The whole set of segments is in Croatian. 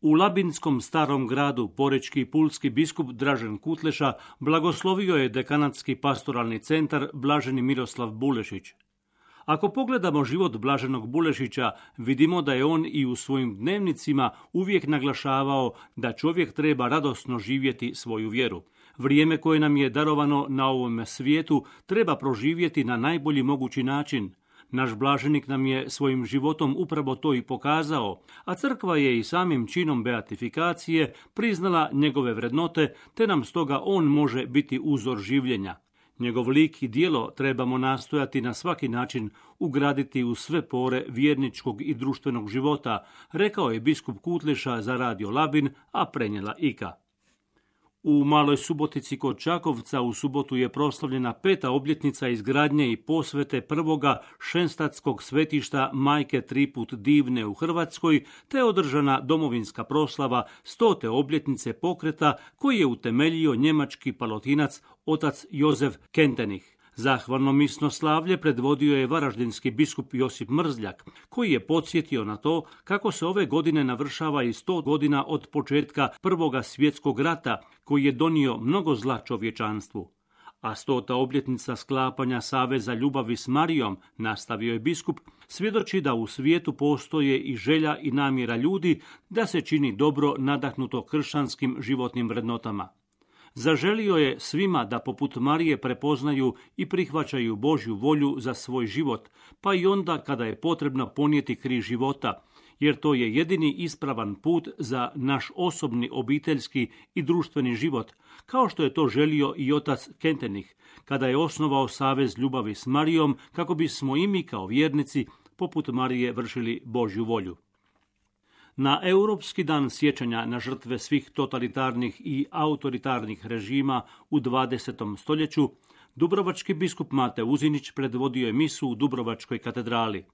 U labinskom starom gradu porečki i pulski biskup Dražen Kutleša blagoslovio je dekanatski pastoralni centar Blaženi Miroslav Bulešić. Ako pogledamo život Blaženog Bulešića, vidimo da je on i u svojim dnevnicima uvijek naglašavao da čovjek treba radosno živjeti svoju vjeru. Vrijeme koje nam je darovano na ovom svijetu treba proživjeti na najbolji mogući način. Naš blaženik nam je svojim životom upravo to i pokazao, a crkva je i samim činom beatifikacije priznala njegove vrednote, te nam stoga on može biti uzor življenja. Njegov lik i djelo trebamo nastojati na svaki način ugraditi u sve pore vjerničkog i društvenog života, rekao je biskup Kutleša za Radio Labin, a prenijela Ika. U Maloj Subotici kod Čakovca u subotu je proslavljena 5. obljetnica izgradnje i posvete prvoga šenstatskog svetišta Majke Triput Divne u Hrvatskoj, te održana domovinska proslava 100. obljetnice pokreta koji je utemeljio njemački palotinac otac Jozef Kentenich. Zahvalno misno slavlje predvodio je varaždinski biskup Josip Mrzljak, koji je podsjetio na to kako se ove godine navršava i 100 godina od početka Prvoga svjetskog rata, koji je donio mnogo zla čovječanstvu. A 100. obljetnica sklapanja saveza ljubavi s Marijom, nastavio je biskup, svjedoči da u svijetu postoje i želja i namjera ljudi da se čini dobro nadahnuto kršćanskim životnim vrednotama. Zaželio je svima da poput Marije prepoznaju i prihvaćaju Božju volju za svoj život, pa i onda kada je potrebno ponijeti križ života, jer to je jedini ispravan put za naš osobni, obiteljski i društveni život, kao što je to želio i otac Kentenich, kada je osnovao savez ljubavi s Marijom, kako bismo i mi kao vjernici poput Marije vršili Božju volju. Na Europski dan sjećanja na žrtve svih totalitarnih i autoritarnih režima u 20. stoljeću, dubrovački biskup Mate Uzinić predvodio je misu u Dubrovačkoj katedrali.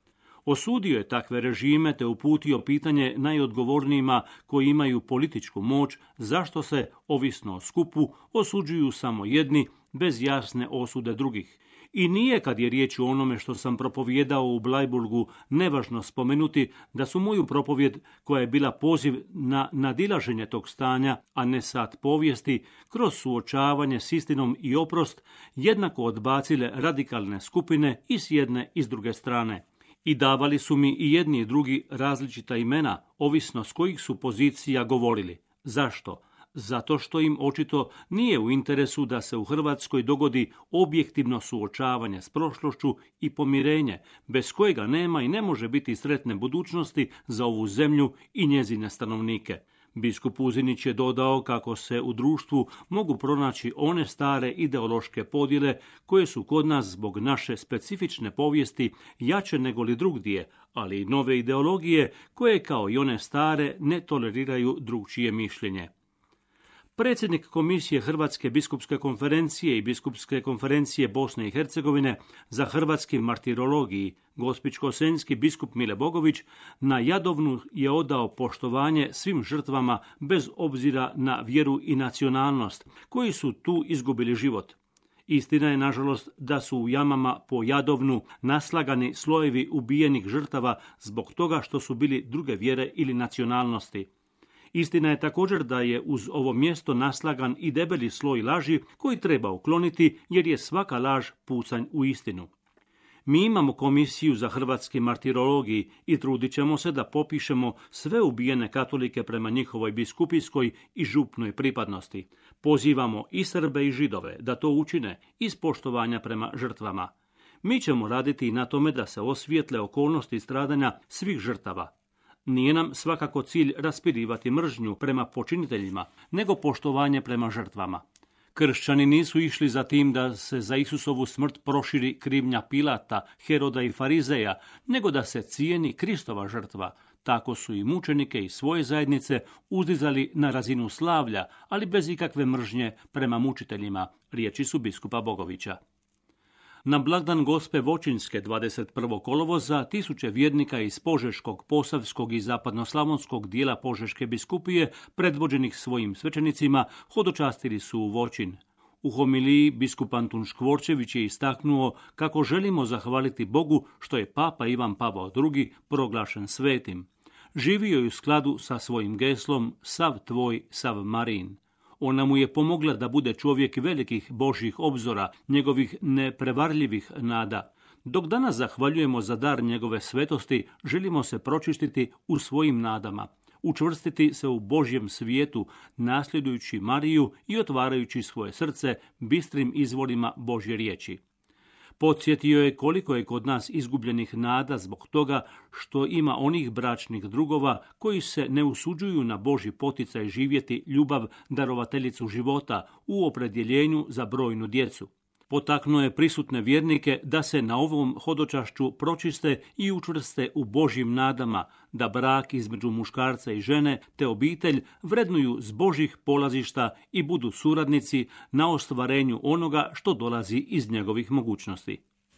Osudio je takve režime te uputio pitanje najodgovornijima koji imaju političku moć zašto se, ovisno o skupu, osuđuju samo jedni bez jasne osude drugih. I nije, kad je riječ o onome što sam propovijedao u Blajburgu, nevažno spomenuti da su moju propovjed, koja je bila poziv na nadilaženje tog stanja, a ne sat povijesti, kroz suočavanje s istinom i oprost, jednako odbacile radikalne skupine i s jedne i s druge strane. I davali su mi i jedni i drugi različita imena, ovisno s kojih su pozicija govorili. Zašto? Zato što im očito nije u interesu da se u Hrvatskoj dogodi objektivno suočavanje s prošlošću i pomirenje, bez kojega nema i ne može biti sretne budućnosti za ovu zemlju i njezine stanovnike. Biskup Uzinić je dodao kako se u društvu mogu pronaći one stare ideološke podjele koje su kod nas zbog naše specifične povijesti jače nego li drugdje, ali i nove ideologije koje kao i one stare ne toleriraju drugčije mišljenje. Predsjednik Komisije Hrvatske biskupske konferencije i Biskupske konferencije Bosne i Hercegovine za hrvatski martirologiji, gospićko-senjski biskup Mile Bogović, na Jadovnu je odao poštovanje svim žrtvama bez obzira na vjeru i nacionalnost, koji su tu izgubili život. Istina je, nažalost, da su u jamama po Jadovnu naslagani slojevi ubijenih žrtava zbog toga što su bili druge vjere ili nacionalnosti. Istina je također da je uz ovo mjesto naslagan i debeli sloj laži koji treba ukloniti, jer je svaka laž pucanj u istinu. Mi imamo komisiju za hrvatski martirologiji i trudit ćemo se da popišemo sve ubijene katolike prema njihovoj biskupijskoj i župnoj pripadnosti. Pozivamo i Srbe i Židove da to učine iz poštovanja prema žrtvama. Mi ćemo raditi i na tome da se osvijetle okolnosti stradanja svih žrtava. Nije nam svakako cilj raspirivati mržnju prema počiniteljima, nego poštovanje prema žrtvama. Kršćani nisu išli za tim da se za Isusovu smrt proširi krivnja Pilata, Heroda i Farizeja, nego da se cijeni Kristova žrtva. Tako su i mučenike i svoje zajednice uzdizali na razinu slavlja, ali bez ikakve mržnje prema mučiteljima, riječi su biskupa Bogovića. Na blagdan Gospe Voćinske 21. kolovoza tisuće vjernika iz Požeškog, Posavskog i zapadnoslavonskog dijela Požeške biskupije, predvođenih svojim svećenicima, hodočastili su u Voćin. U homiliji biskup Antun Škvorčević je istaknuo kako želimo zahvaliti Bogu što je Papa Ivan Pavao II proglašen svetim. Živio je u skladu sa svojim geslom sav tvoj, sav Marin. Ona mu je pomogla da bude čovjek velikih Božjih obzora, njegovih neprevarljivih nada. Dok danas zahvaljujemo za dar njegove svetosti, želimo se pročistiti u svojim nadama, učvrstiti se u Božjem svijetu, nasljedujući Mariju i otvarajući svoje srce bistrim izvorima Božje riječi. Podsjetio je koliko je kod nas izgubljenih nada zbog toga što ima onih bračnih drugova koji se ne usuđuju na Božji poticaj živjeti ljubav darovateljicu života u opredjeljenju za brojnu djecu. Potaknuo je prisutne vjernike da se na ovom hodočašću pročiste i učvrste u Božjim nadama, da brak između muškarca i žene te obitelj vrednuju s Božjih polazišta i budu suradnici na ostvarenju onoga što dolazi iz njegovih mogućnosti.